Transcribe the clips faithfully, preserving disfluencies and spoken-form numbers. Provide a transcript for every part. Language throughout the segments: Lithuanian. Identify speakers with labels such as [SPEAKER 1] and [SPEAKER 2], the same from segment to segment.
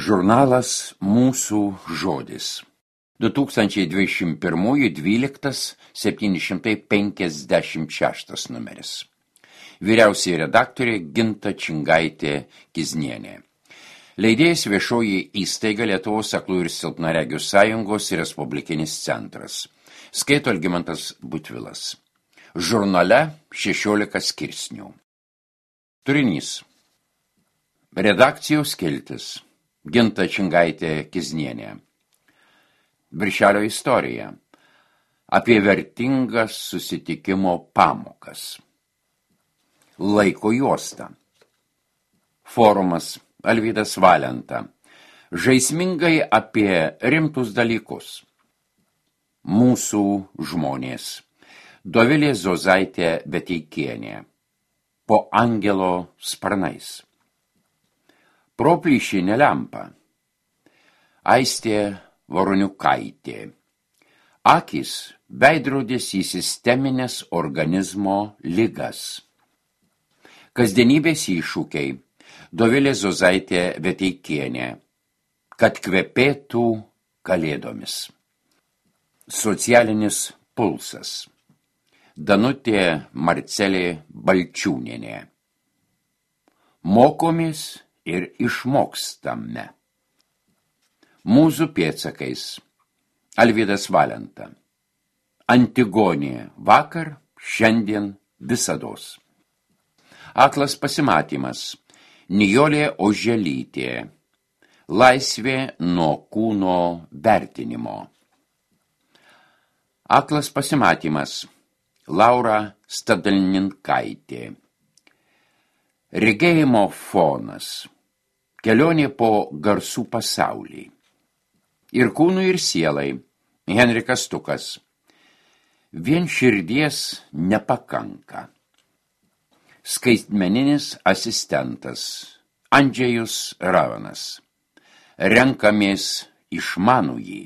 [SPEAKER 1] Žurnalas Mūsų žodis. du tūkstančiai dvidešimt pirmųjų dvyliktas septyni šimtai penkiasdešimt šeštas numeris. Vyriausioji redaktorė Ginta Čingaitė Kiznienė. Leidėjas viešoji įstaiga Lietuvos aklųjų ir silpnaregių sąjungos ir Respublikinis centras. Skaito Algimantas Butvilas. Žurnale šešiolika skirsnių. Turinys. Redakcijos skiltis. Ginta Čingaitė Kiznienė. Viršelio istorija. Apie vertingas susitikimo pamokas. Laiko juosta. Forumas Alvydas Valenta. Žaismingai apie rimtus dalykus. Mūsų žmonės. Dovilė Zozaitė Beteikienė. Po angelo sparnais. Proplyšinė lempa. Aistė Voroniukaitė. Akys veidrodis į sisteminės organizmo ligas. Kasdienybės iššūkiai. Dovilė Zozaitė Beteikienė. Kad kvepėtų kalėdomis. Socialinis pulsas. Danutė Marcelė Balčiūnienė. Mokomės ir išmokstame. Mūzų pėdsakais. Alvydas Valenta. Antigonė vakar, šiandien, visados. Aklas pasimatymas. Nijolė Oželytė. Laisvė nuo kūno vertinimo. Aklas pasimatymas. Laura Stadalninkaitė. Regėjimo fonas. Kelionė po garsų pasaulį. Ir kūnui ir sielai. Henrikas Stukas. Vien širdies nepakanka. Skaitmeninis asistentas. Andžejus Ravanas. Renkamės išmanųjį.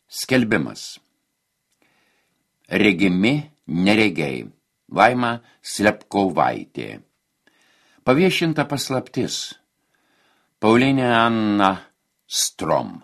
[SPEAKER 1] Skelbimas. Regimi neregiai. Laima Slepkovaitė. Paviešinta paslaptis. Paulinė Anna Strom.